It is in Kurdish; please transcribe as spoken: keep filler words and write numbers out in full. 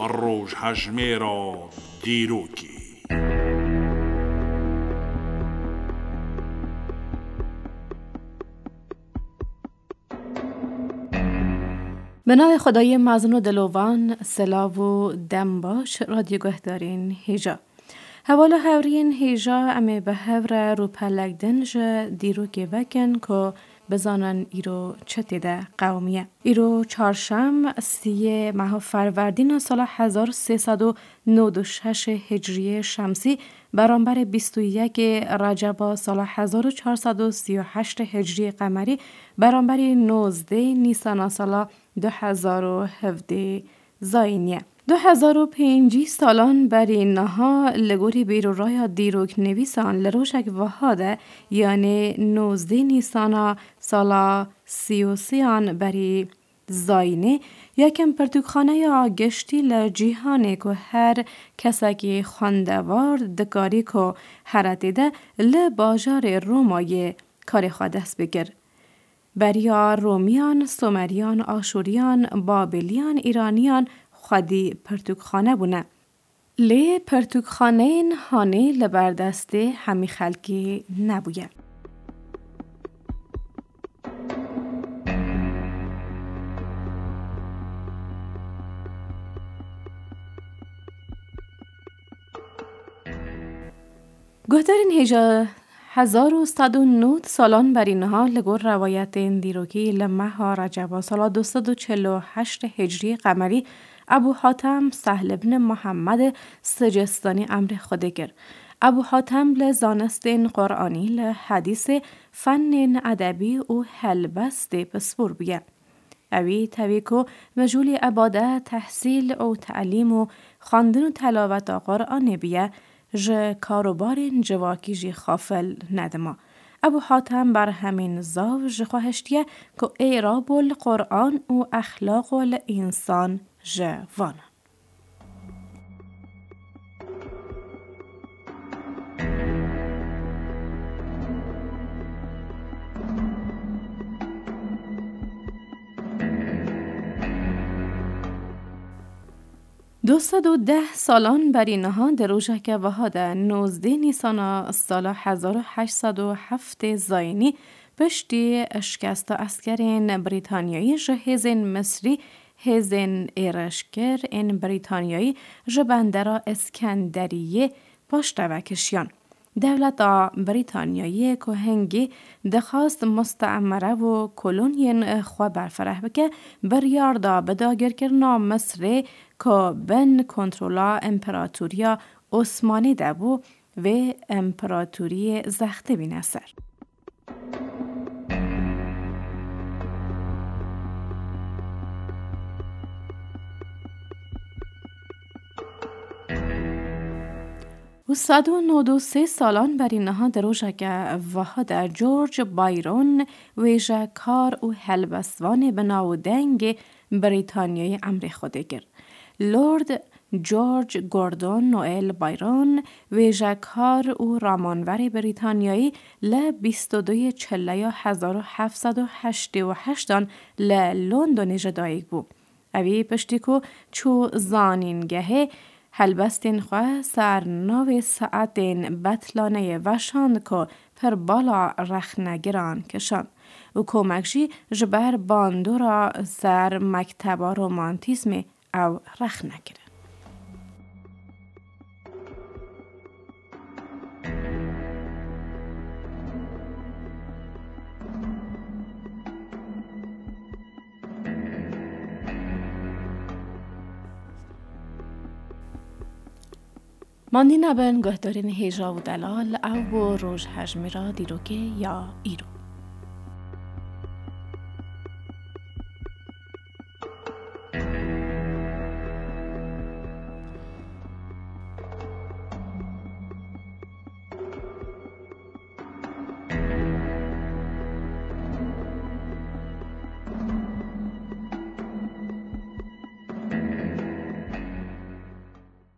Rojhejmêra dîrokê. Bi navê Xwedayê mezin û dilovan, silav û dem baş, radyo guhdarên hêja. Hevala hewriyên hêja, em ê bi hev re rûpelek din ji dîrokê vekin ku bizanin îro çi tê de qewimiye. Îro çarşem, siyê meha Ferwerdîna sala hezar û sê sed û nod û şeş hicriyê şemsî, beramberî bîst û yekê Receba sala hezar û çar sed û sî û heşt hicriyê qemerî, beramberî nozdê Nîsana sala du hezar û hevdê zayînî ye. Du hezar û pêncî salan berî niha li gorî bîrûraya dîroknivîsan li rojek wiha de, yanê nozdê Nîsana sala sî û sêyan berî zayînê, yekem pirtûkxaneya giştî li cîhanê ku her kesekî xwendewar dikarî ku here tê de li bajarê Romayê karê xwe dest bikir. Beriya Romiyan, Someriyan, Aşûriyan, Babîliyan, Îraniyan xwedî pirtûkxane bûne. Lê pirtûkxaneyên hanê li ber destê hemî xelkê nebûye. Guhdarên hêja, hezar û sed û nod salan berî niha li gor rewayetên dîrokî li meha Receba sala du sed û çil û heşt hicriyê qemerî Ebû Hatem Sehl ibn Muhammed Sicistanî emrê Xwedê kir. Ebû Hatem li zanistên Quranî, li hedîsê, fennên edebî û helbestê pispor bûye. Ewî tevî ku mijûlî îbadet, tehsîl û telîm û xwendin û telaweta Quranê biye, ji karobarên civakî jî xafil nedima. Ebû Hatem berhemên zav ji xwe hiştiye ku êrab û li Quran û exlaq û li însan ji van e. Du sed û deh salan berî niha di rojeke wiha de, nozdeh Nîsana sala hezar û heşt sed û heft zayînî, piştî şikesta eskerên Brîtanyayî ji hêzên Misrî, hêzên êrişkir ên Brîtanyayî ji bendera Iskenderiyê paşteve kişiyan. Dewleta Brîtanyayê ku hingî dixwast mustemere û kolonyên xwe berfireh bike, biryar da bi dagirkirina Misrê ku bin kontrola Împeratoriya Osmanî de bû, vê împeratoriyê zextê bîne ser. Û sed û nod û sê salan berî niha di rojeke wiha de George Byron, wêjekar û helbestvanê bi nav û dengê Brîtanyayê emrê Xwedê kir. Lord George Gordon Noel Byron, wêjekar û ramanverê Brîtanyayî, li bîst û duyê Çileya hezar û heft sed û heştê û heştan li Londonê ji dayik bû. Ewî piştî ku çû zanîngehê, helbestên xwe ser navê saetên Betlaneyê veşand ku pir bala rexnegiran kişand û komek jî ji ber bandora ser mekteba romantîzmê ew rexne kirin. Mandî nebin guhdarên hêja û delal, ew bû rojhejmêra dîrokê ya îro.